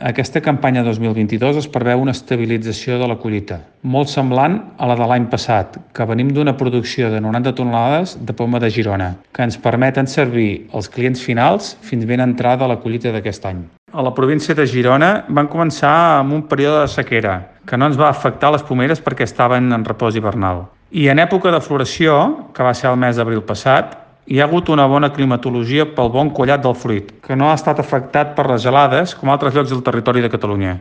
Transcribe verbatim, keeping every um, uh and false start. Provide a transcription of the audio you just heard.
Aquesta campanya dos mil vint-i-dos es preveu una estabilització de la collita, molt semblant a la de l'any passat, que venim d'una producció de noranta tonelades de poma de Girona, que ens permeten servir els clients finals fins ben entrada la collita d'aquest any. A la província de Girona van començar amb un període de sequera, que no ens va afectar les pomeres perquè estaven en repòs hivernal. I en època de floració, que va ser el mes d'abril passat, hi ha hagut una bona climatologia pel bon collat del fruit, que no ha estat afectat per les gelades com altres llocs del territori de Catalunya.